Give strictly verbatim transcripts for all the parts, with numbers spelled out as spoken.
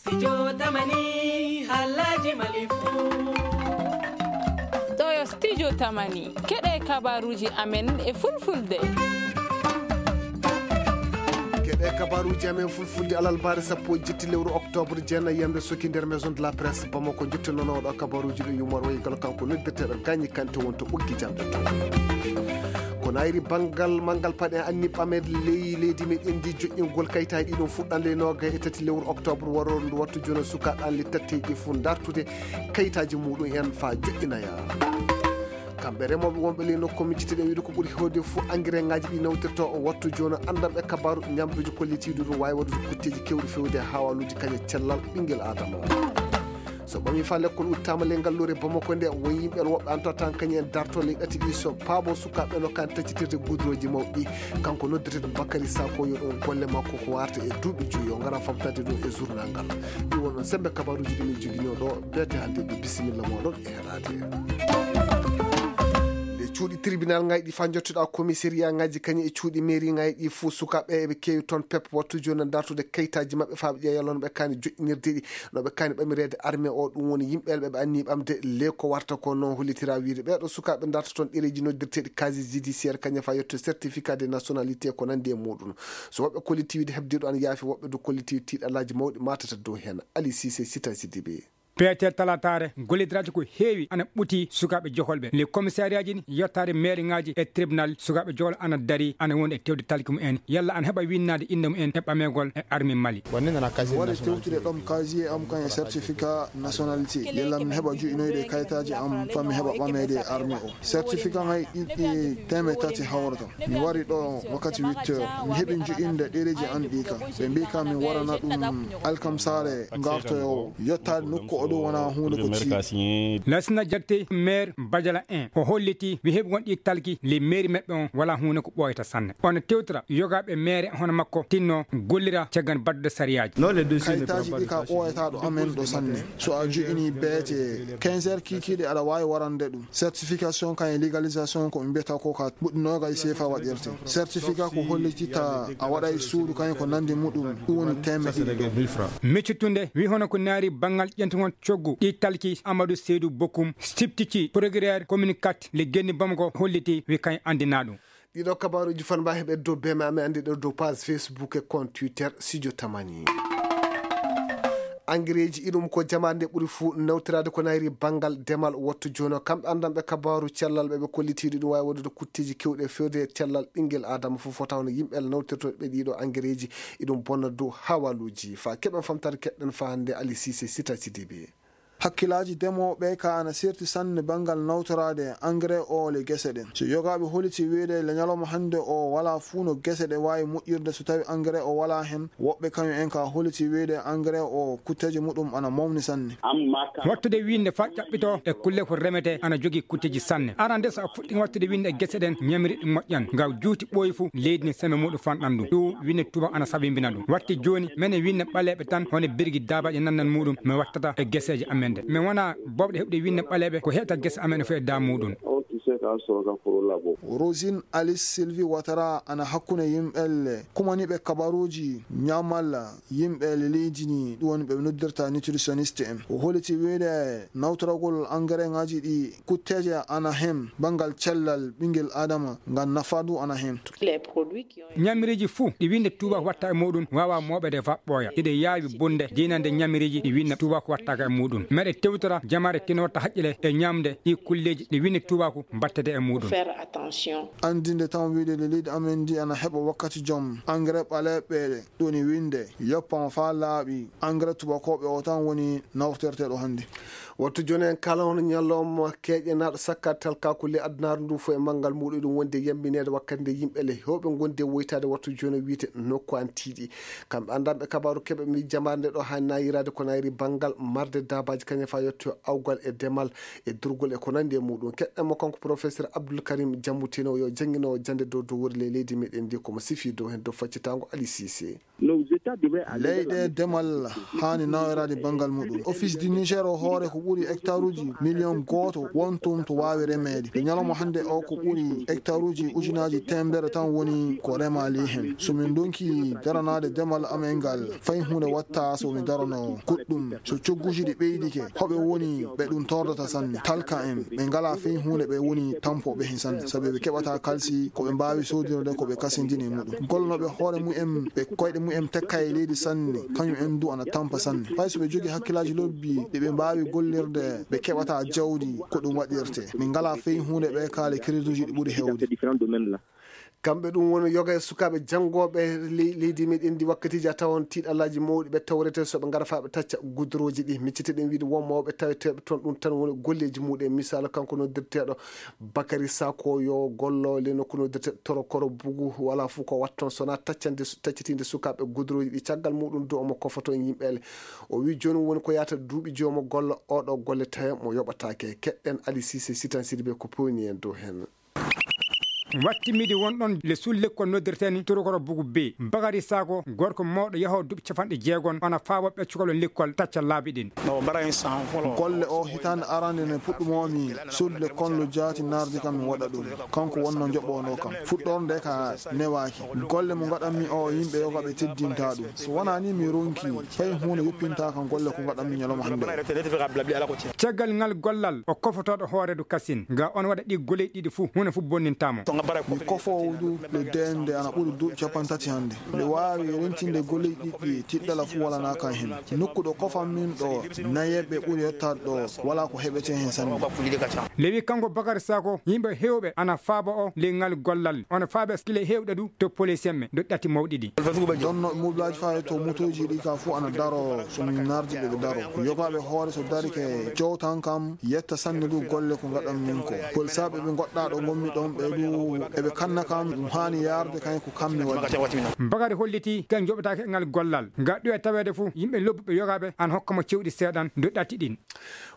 Studio Tamani, halaji Mali fu. Ɗo yo Studio Tamani, keɗe kabaruji amen e fulfulde. Keɗe kabaruji amen fulfulde alalbaare sappo e jetti lewru octobre, jeenayi yamre soki nder Maison de la Presse Bamako. Jottinono ɗo kabaruji ɗo yumor wayi galo kanko noddirteɗo Gagny Kanté wonto ɓoggi jamɗe to. Ko nayri banngal manngal paɗe anni ɓamed ley leydi meɗen ndi joƴƴingol kayitaaji ɗiɗon fuɗɗande e noga e tati lewru octobre waro ndu wattu jona sukaaɓe an le tatteji ɗi fof dartude kayitaaji muɗum en fa joƴƴinaya. Kamɓe remooɓe wonɓe ley nokku min cittiɗen wiide ko ɓuri hewde fof engrais ngaji ɗi nawtirta o wattu jona andam e kabaru ñamduji kollitiɗi ɗum wawi waɗude kutteji kewɗi fewde e hawaluji kañe cellal ɓinguel adama. So ɓami fa lekkol uttama ley ngal lore Bamako nde won yimɓe woɓɓe antotan kañum en darto ley ɗati ɗi so paabo sukaɓe no kan taccitirde gudroji mawɗi. Kanko noddirten Bakary Sako yo ɗum golle makko ko warta e duuɓi joyi o ngara famtade ɗum e journal ngal. Ɗi wonno sembe kabaruji ɗi min jogino ɗo beete hande ɗi bisimilla moɗon e heraade. Le cuuɗi tribunal ngaji ɗi fa jottoɗa commissariat ngaji kañum e cuuɗi mairie ngaji ɗi fo sukaɓe eɓe kewi toon pep wattu joni dartude kayitaji mabɓe fa ɓe ƴeewa yalon ɓe kani joƴƴinirde ɗi. No ɓe kani ɓamireede armée o ɗum woni yimɓe ɓe ɓe anni ɓamde le ko warta ko noon hollitira wiide ɓeeɗo sukaaɓe darta toon ɗereeji noddirteeɗi casier judiciaire kañum fa yetto certificat de nationalité ko nanndi e muɗum. So woɓɓe kolliti wiide heɓdiiɗo an yaafi woɓɓe du kolliti tiiɗalaaji mawɗi matata dow heen. Ali Sise, Sita Sidibe. Peete talataare gollidiraji ko heewi ana ɓuti sukaaɓe jokolɓe le commissariaji ni yettaade maire ngaji e tribunal sukaaɓe jokol ana dari ana woni e tewde talki mumen yalla ana heɓa winnaade innde mumen e ɓamegol e armi mali. Waɗa tewtude ɗom casier am kan e certificat nationalité yalla mi heɓa joƴƴinoyde kayitaaji am fa mi heɓa ɓameede e armi o. Certificat ngay ɗiɗi teemeɗe tati hawrata. Mi wari ɗo wakkati huit heures. Mi heɓi joƴƴinde ɗereeji an ɗi ka. Ɓe mbi ka mi warana ɗum alkamsaare ngartoyo yettaade nokku o ɗo wona huunde ko tiiɗi. Lasina jagte maire bajala en o holliti wi heɓi won ɗi talki le maire meɓɓe on wala huunde ko ɓooyata sanne. Ono tewtora yogaɓe maire hono makko tinno gollira caggan baddude sariyaaji. Kayitaaji ɗi ka ɓooyata ɗo amen ɗo sanne. So a joƴƴini beete quinze heures kiikiiɗe aɗa waawi warande ɗum. Certification kan e légalisation ko ɓe mbiyata ko ka ɓuɗɗi noogay seefa waɗirte. Certificat ko hollitita a waɗay suudu kan ko nandi muɗum ɗum woni teemeɗe ɗiɗi. Miccutunde wi hono ko naari banngal ƴentugol coggu ɗi talki Amadou Seydou Bokoum siptiki procureur communicat le genni Bamako holliti wi kañ anndinaa ɗum. Ɗiɗo kabaruji fanba heɓe dow beme amen andi ɗo dow page Facebook e compte Twitter Studio Tamani. Engrais ji iɗum ko jamaande ɓuri fuu nawtiraade ko nayri banngal demal wattu jooni o. Kamɓe anndanɓe kabaaru cellal ɓe ɓe kollitiiɗo ɗum waawi waɗude kutteeji keewɗi e feewde e cellal ɓinngel aadama fof fota hono yimɓe Allah nawtirtooɓe ɗiɗo engrais ji iɗum bonna dow hawaluuji. Fa keɓen famtaade keɗɗen fa hannde Ali Sise Sita Sidibe. Hakkilaaji demooɓe ka ana serti sanne banngal nawtoraade engrais o le gese ɗen. So yogaaɓe holiti wiide le ñalawma hannde o wala fuu no gese ɗe waawi moƴƴirde so tawi engrais o wala hen. Woɓɓe kañum en ka holiti wiide engrais o kutteeje muɗum ana mawni sanne. Wattude wiinde fa ƴaɓɓito e kulle ko remete ana jogii kutteeji sanne. Arande so a fuɗɗi wattude wiinde e gese ɗen ñamiri ɗi moƴƴan. Nga juuti ɓooyi fu leydi ne sembe muɗum fanɗan ɗum. Ɗum wiinde tuba ana sabimbina ɗum. Watti jooni mene wiinde ɓaleeɓe tan hono birgi daabaji nannan muɗum mi wattata e geseeji amen de. Mi wona bobɗe heɓde wiinde ɓaleeɓe ko heɓta gese amen fof e daa muɗum. Rosine Alice Sylvie Ouattara ana hakkunde yimɓe le kumaniɓe kabaruuji ñamal yimɓe le leydi ni ɗum woni ɓe noddirta nutritionniste en. O holiti wiide nawtoragol engrais ngaji ɗi kutteeje ana hen banngal cellal ɓinngel adama ngam nafa du ana hen. Ñamiriiji fuu ɗi winnde tuubaako watta e muuɗum waawa mooɓeede fa ɓooya. Hiɗe yaawi bonde diinande ñamiriiji ɗi winnde tuubaako wattaaka e muuɗum. Meɗe tewtora jamaare tino watta haqqile e ñaamde ɗi kulleeji ɗi winnde tuubaako mbattete e muuɗum. Anndinde tan wiide nde leydi amen ndi ana heɓa wakkati jom engrais ɓaleeɓe ɗoni winnde yoppama fa laaɓi engrais tuubakooɓe o tan woni nawterteeɗo hannde. Wattu jooni en kala hono ñalawma keeƴenaaɗo sakka talkaaku ley adunaaru ndu fof e manngal muuɗum ɗum wondi e yammineede wakkati nde yimɓe le heewɓe ngondi e woytaade wattu jooni o wiyte nokku an tiiɗi. Kamɓe anndanɓe kabaaru keɓe mi jamaare nde ɗo haa naayiraade ko naayiri banngal marde daabaaji kañum fa yetto awgal e demal e durgol e ko nanndi e muuɗum. Keɗɗen mo kanko professeur Abdoul Karim Jammutino yo jannginoowo jannde dow dow wori ley leydi meɗen ndi komo sifi dow heen dow faccitaango Ali Sise. Leyɗe demal haani nawereede banngal muɗum. Office du Niger o hoore ko ɓuri hectaruuji miliyon gooto wontum to waawi remeede. E ñalawma hannde o ko ɓuri hectaruuji ujunaaji teemedere tan woni ko remaali heen. So min ndonki daranaade demal amen ngal, fay huunde watta so mi darano goɗɗum. So cogguuji ɗi ɓeydike, hoɓe woni ɓe ɗum tordata sanne. Talka en, ɓe ngalaa fay huunde, ɓe woni tampooɓe heen sanne. Sabi ɓe keɓata kalsi ko ɓe mbaawi soodinirde ko ɓe kasindini e muɗum. Gollooɓe hoore mumen, ɓe koyɗe mumen tekka e leydi sanne, kañum en du ana tampa sanne. Fay so ɓe jogii hakkillaaji lobbi ɗi ɓe mbaawi gollirde, ɓe keɓata jawdi ko ɗum waɗirte. Min ngalaa fay huunde ɓe kaali crédituuji ɗi ɓuri heewde. Kamɓe ɗum woni yoga e sukaaɓe janngooɓe ley-, leydi meɗen ndi wakkatiiji a tawon tiiɗallaaji mawɗi ɓe tawrete so ɓe ngara faa ɓe tacca gudurooji ɗi. Miccite ɗen wiide won mawɓe taweteeɓe toon ɗum tan woni golleeji muɗum. Misaalu kanko noddirteeɗo Bakary Sako yo gollo le nokku noddirte Torokoro Bugu, wala fof ko watton sona taccande su-, taccitinde sukaaɓe gudurooji ɗi. Caggal muɗum du omo kofoto yimɓe ele. O wi jooni woni ko yahata duuɓi joyi omo golla oɗo golle tawe mo yoɓataake. Keɗɗen Ali Cissé Sitan Sidibé ko pewni en dow heen. Wattimidi wonɗon le suul lekkol noddirteeni Torokoro Bugu B. Bakary Sako, gorko mawɗo yahoo duuɓi capanɗe jeegom, ona faabo ɓe cukalon lekkol tacca laabi ɗin. Golle o hitaande arande nde puɗɗumoomi sodde konlo jaati nardi kam mi waɗa ɗum. Kanko wonno joɓono kam. Fuɗɗorde ka newaaki. Golle mo ngaɗanmi o yimɓe yoga ɓe teddinta ɗum. So wonaa ni mi ronki, fay huunde yoppinta kam golle ko ngaɗanmi ñalawma hannde o. Caggal ngal gollal, o kofotooɗo hooreedu Kasin. Nga on waɗa ɗi golle ɗiɗi fuu, huunde fuu bonnintaa mo. Mi kofoowo du le dende ana ɓuri duuɓi capanɗe tati hannde. Mbiɗa waawi rentinde golle ɗiɗi, tiɗɗala fuu walanaa kan heen. Nokku ɗo kofan min ɗo, nayeɓe ɓuri yettaade ɗo, walaa ko heɓete heen sanne. Lewi kanko Bakary Sako, yimɓe heewɓe ana faaba o le ngal gollal. Ona faaba kile heewɗe du to police en ɓe, do ɗati mawɗi ɗi. Donno mobilaaji faa to motooji ɗi ka fuu ana daro, so min nardi ɓe ɓe daro. Yogaaɓe hoore so dari ke jowtan kam, yetta sanne du golle ko ngaɗan min ko. Polisaaɓe ɓe ngoɗɗaa ɗo ngonmi ɗon ɓe du, eɓe kanna kam, ɗum haani yaarde kañ ko kam mi waɗi. Bakary holliti kan joɓataake e ngal gollal. Nga ɗo e taweede fuu, yimɓe lobbuɓe yogaaɓe ana hokka mo cewɗi seeɗan do ɗati ɗin.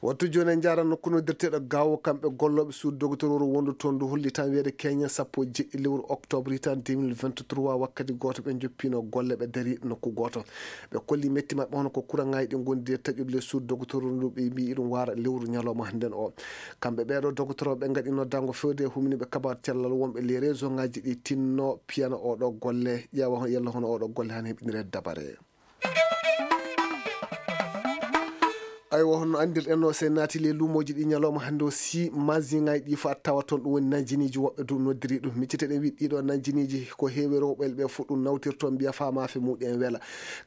Wattu jooni en njaara nokku noddirteeɗo Gaawo, kamɓe gollooɓe suudu dogotororu wondu toon ndu holli tan wiyeede keñen sappo e jeɗɗi lewru octobre hitaande deux mille vingt-trois, wakkati gooto ɓe njoppino golle ɓe dari nokku gooto. Ɓe kolli metti maɓɓe hono ko kuraŋaaji ɗi ngondi e taƴude le suudu dogotororu ndu ɓe mbii iɗum waara lewru ñalawma nden o. Kamɓe ɓeeɗo dogotoro ɓe ngaɗi noddaango fewde e humniiɓe kabaar cellal wonɓe le réseau ŋaaji ɗi tinno piyana oɗo golle, ƴeewa yalla hono oɗo golle han heɓinire dabare. Aywa, hono anndirɗen no, se naati le luumooji ɗi ñalawma hannde o, si masiŋaaji ɗi fo a tawa toon, ɗum woni nanjiniiji woɓɓe du noddiri ɗum. Micciteɗen wi ɗiɗo nanjiniiji ko heewi rewɓe ɓe fof ɗum nawtirto mbiya fa maafe muɗum en wela.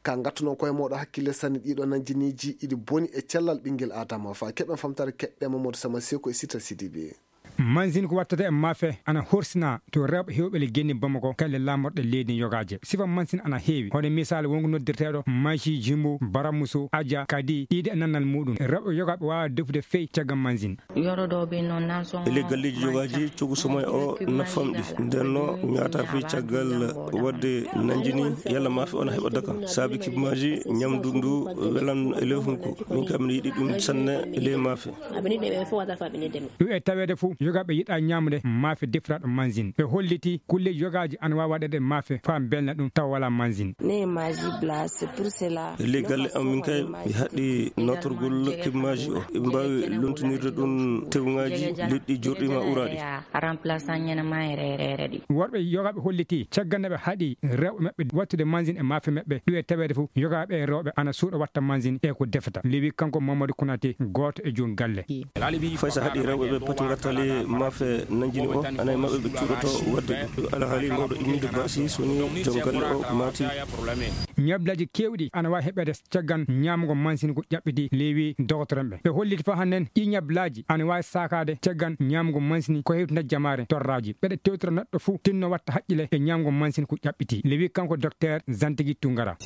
Ka ngattu noon koye mooɗo hakkille sanne ɗiɗo nanjiniiji iɗi boni e cellal ɓinngel Adama fa. Keɓen famtare keɓɓe Mamadou Sama Seko e Sita Sidibe. Mansin ko wattata e maafe ana horsina to rewɓe heewɓe le genni Bamako, kalle laamorɗe leydi yogaaje. Sifa mansin ana heewi. Hono misaal wonko noddirteeɗo Maji Jimbo, Baramuso, Aja, kadi ɗiɗi e nannal muɗum. Rewɓe yogaaɓe waawa defude fey caggal mansin. E ley galleeji yogaaji, cogu somay o na famɗi. Nden no ñaata fey caggal waɗde nanjini yalla maafe ona heɓa dakam. Saabi kibmaaji ñamdu ndu welan e ley hunko. Min kam mi yiɗi ɗum sanne e ley maafe. Ɗum e taweede fof, yogaaɓe yiɗaa ñaamde maafe defiraaɗo mansin. Ɓe holliti kulleeji yogaaji ana waawi waɗeede maafe faa mbelna ɗum tawa walaa mansin. E ley galle am min kay, mi haɗi nawtorgol kibmaaji o. Eɓe mbaawi lontinirde ɗum tewŋaaji leɗɗi jorɗi ma uraaɗi. Worɓe yogaaɓe holliti caggal nde ɓe haɗi rewɓe maɓɓe wattude mansin e maafe maɓɓe, ɗum e taweede fof yogaaɓe e rewɓe ana suuɗa watta mansin e ko defata. Lewi kanko Mamadou Konaté, gooto e joom galle. Fay so haɗi rewɓe ɓe pati ngattali maafe nanjini o, ana e maɓɓe ɓe cuuɗoto waɗde ɗum. Alhaali mawɗo imminde baasi so woni joom galle o maati. Ñablaaji keewɗi ana waawi heɓeede caggal ñaamgo mansin ko ƴaɓɓiti, lewi dogotoren ɓe. Ɓe holliti fa hannen ɗi ñablaaji ana waawi saakaade caggal ñaamgo mansin ko hewtina jamaare torraaji. Ɓeɗe tewtora neɗɗo fuu tinno watta haqqile e ñaamgo mansin ko ƴaɓɓiti. Lewi kanko Docteur Zantigi Tungara.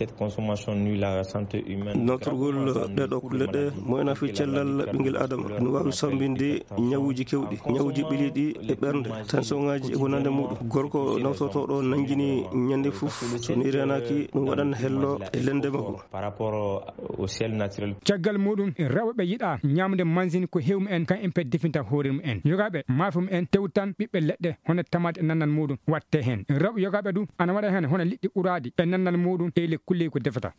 Nawtorgol ɗeɗo kulle ɗe moyna fii cellal ɓinngel Adama. No waawi sambinde ñawuuji keewɗi. Ewji ɓiliiɗi e ɓernde, tension ŋaaji e wonande muuɗum. Gorko nawtotooɗo nanngini ñande fof, so ni reenaaki, ɗum waɗan hello e lende makko. Caggal muuɗum, rewɓe ɓe yiɗaa ñaamde mansin ko heewi mumen, kamɓe ɓe definta hoore mumen. Yogaaɓe maafe mumen tewtan ɓiɓɓe leɗɗe, hono tamaate e nannal muuɗum waɗte heen. Rewɓe yogaaɓe du ana waɗa heen hono liɗɗi uraaɗi e nannal muuɗum e le kulleeji ko defata.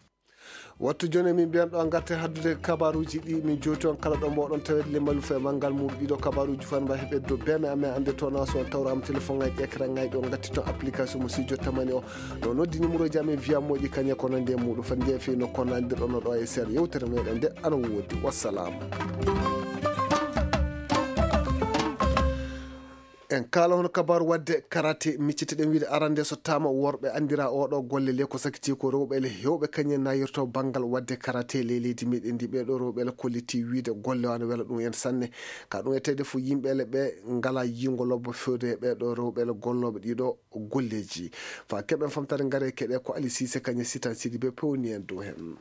Wattu jooni, min mbiyan ɗo, ngarte haddude kabaaruuji ɗi min jowti on kala ɗo mboɗon tawede le malufe e manngal muuɗum. Ɗiɗo kabaaruuji fof mba heɓe do beme amen, annde toon so on tawraama téléphone ŋaaji, écran ŋaaji ɗo, ngatti toon application mo studio tamani o. Ɗo noddi numéro ji amen, wiya moƴƴi kañe ko nande e muuɗum. Fati njeeya fii no ko nandirɗon no ɗo e seeɗa yewtere meɗen nde ana woodi. Wassalaamu. En kaala hono kabaaru waɗde karate, miccitiɗen wiide arande so taama worɓe anndira oɗo golle le ko sakiti ko rewɓe le heewɓe kañum nayirto banngal waɗde karate le leydi meɗen ndi. Ɓeɗo rewɓe le kolliti wiide golle o ana wela ɗum en sanne. Ka ɗum etede fof yimɓe le ɓe ngala yingo lobbo fewde e ɓeɗo rewɓe le gollooɓe ɗiɗo golleji. Fa keɓen famtare ngare keɗe ko Ali Sise kañum Sitan Sidi ɓe pewni en dow hen.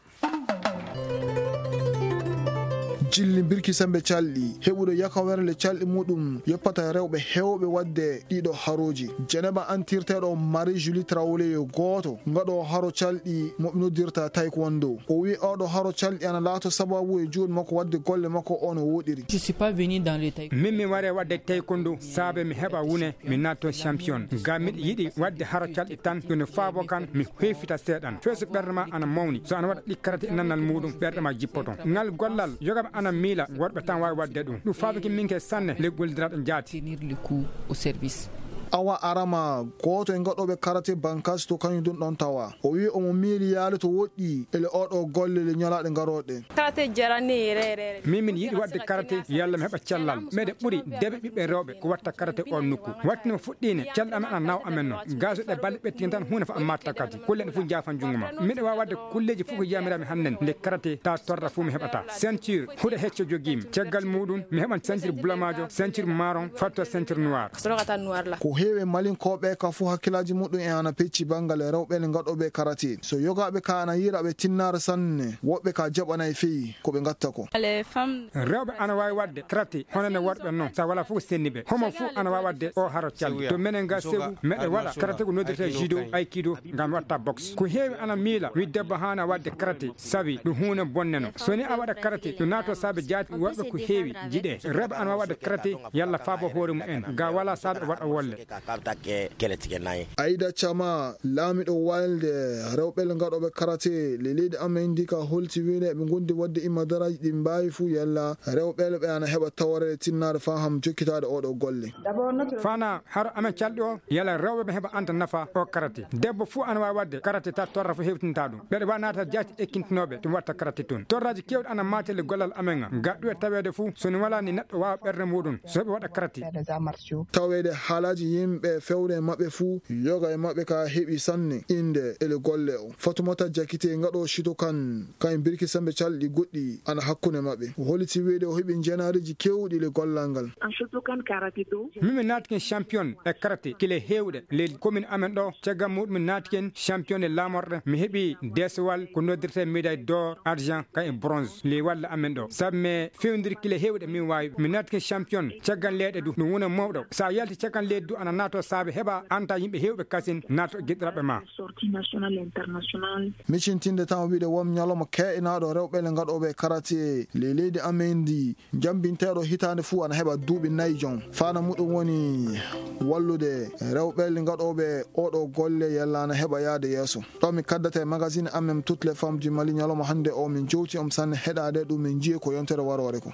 Jilli mbirki sembe calɗi, heɓuɗo yakawerle calɗi muɗum, yoppata rewɓe heewɓe waɗde ɗiɗo harooji. Jeneba antirteeɗo Marie Julie Traoré yo gooto ngaɗo haro calɗi mo ɓe noddirta taekwondo. O wi oɗo haro calɗi ana laato sababu e juuɗe makko waɗde golle makko o no woɗiri. Je suis pas venu dans le taekwondo. Min mi ware waɗde taekwondo saabe mi heɓa wune mi naatto champion. Ngam miɗo yiɗi waɗde haro calɗi tan, yo no faabo kan mi hoyfita seeɗan. Feeso ɓernde ma ana mawni. So ana waɗa ɗi karate e nannal muuɗum, ɓerɗe ma jippoto. Ngal gollal, yogaaɓe ana miila, worɓe tan waawi waɗde ɗum. Ɗum faabike min ke sanne, le gollidiraaɗo jaati. Tenir le coup au service. Awa Arama, gooto e ngaɗooɓe karate Bankas to kañum ɗum ɗon tawa. O wi omo miili yaade to woɗɗi, ele oɗo golle le ñalaaɗe ngarooɗe. Karate jarani rerere. Min min yiɗi waɗde karate, yalla mi heɓa cellal. Meɗe ɓuri deɓe ɓiɓɓe rewɓe ko watta karate o nokku. Watti no fuɗɗiine, cellal amen ana nawa amen no. Gaso ɗe balle ɓettini tan huunde fa amma takkati. Kulle ɗe fof jaafa junngo ma. Miɗo waawi waɗde kulleeji fof ko yamiraami hannden nde karate ta torra fof mi heɓata. Ceinture, huɗo hecco jogiimi. Caggal muuɗum, mi heɓan ceinture bulamaajo, ceinture marron, fatto ceinture noir. Ko heewi e Malinkooɓe ka fof hakkillaaji muɗum en ana pecci banngal e rewɓe ne ngaɗooɓe karate. So yogaaɓe ka ana yiira ɓe tinnaare sanne, woɓɓe ka jaɓanay feyi ko ɓe ngatta ko. Rewɓe ana waawi waɗde karate hono no worɓe non, sa wala fof ko senni ɓe. Homo fof ana waawi waɗde o haro calli. To menen ga Segu, meɗe waɗa karate ko noddirte judo, aikido, ngam watta boxe. Ko heewi ana miila, wi debbo haana waɗde karate, sabi ɗum huunde bonne no. So ni a waɗa karate, ɗum naato saabe jaati woɓɓe ko heewi jiɗe. Rewɓe ana waawi waɗde karate, yalla faabo hoore mumen, ga wala saabe waɗa wolle. Aida Chama, laamiɗo walde rewɓe ngaɗooɓe karate le leydi amen ndi ka holti wiide ɓe gondi waɗde imadaraaji ɗi mbaawi fuu yalla rewɓe ɓe ana heɓa tawreede tinnaare faa ham jokkitaade oɗo golle. Fana haro amen calɗi o yalla rewɓe ɓe heɓa anta nafa o karate. Debbo fuu ana waawi waɗde karate ta torra fo hewtinta ɗum. Ɓeɗe waawi naata jaati ekkintinooɓe to watta karate toon. Torraaji keewɗi ana maate le gollal amen ga. Ga ɗuwe taweede fuu so ni wala ni neɗɗo waawa ɓernde muɗum so heɓe waɗa karate. Taweede haalaaji yimɓe fewre maɓɓe fuu, yoga e maɓɓe ka heɓi sanne innde e le golle o. Fatumata Jakite ngaɗo Shitokan, kañum birki sembe calɗi goɗɗi ana hakkunde maɓɓe. O holliti wiide o heɓi njenaariji keewɗi le gollal ngal. Min mi naatike champion e karate kile heewɗe le commune amen ɗo. Caggal muɗum mi naatike champion e laamorɗe. Mi heɓi desewal ko noddirte médaille d'or, argent, kañum bronze. Le walla amen ɗo. Sabu mi fewndiri kile heewɗe min waawi. Mi naatike champion caggal leyɗe du. Ɗum wona mawɗo. Sa yalti caggal leydi du ana naato saabe heɓa anta yimɓe heewɓe kasin naato giɗiraɓe ma. Sortie nationale, internationale. Micintinde tan o wiide won ñalawma keeɗinaaɗo rewɓe le ngaɗooɓe karate le leydi amen ndi. Jambinteeɗo hitaande fuu ana heɓa duuɓi nayi jon. Fana muɗum woni wallude rewɓe le ngaɗooɓe oɗo golle yalla ana heɓa yaade yeeso. Ɗo mi kaddata e magazine amen Toutes les femmes du Mali ñalawma hannde o min jowti om sanne heɗaade ɗum min njiye ko yontere waroore ko.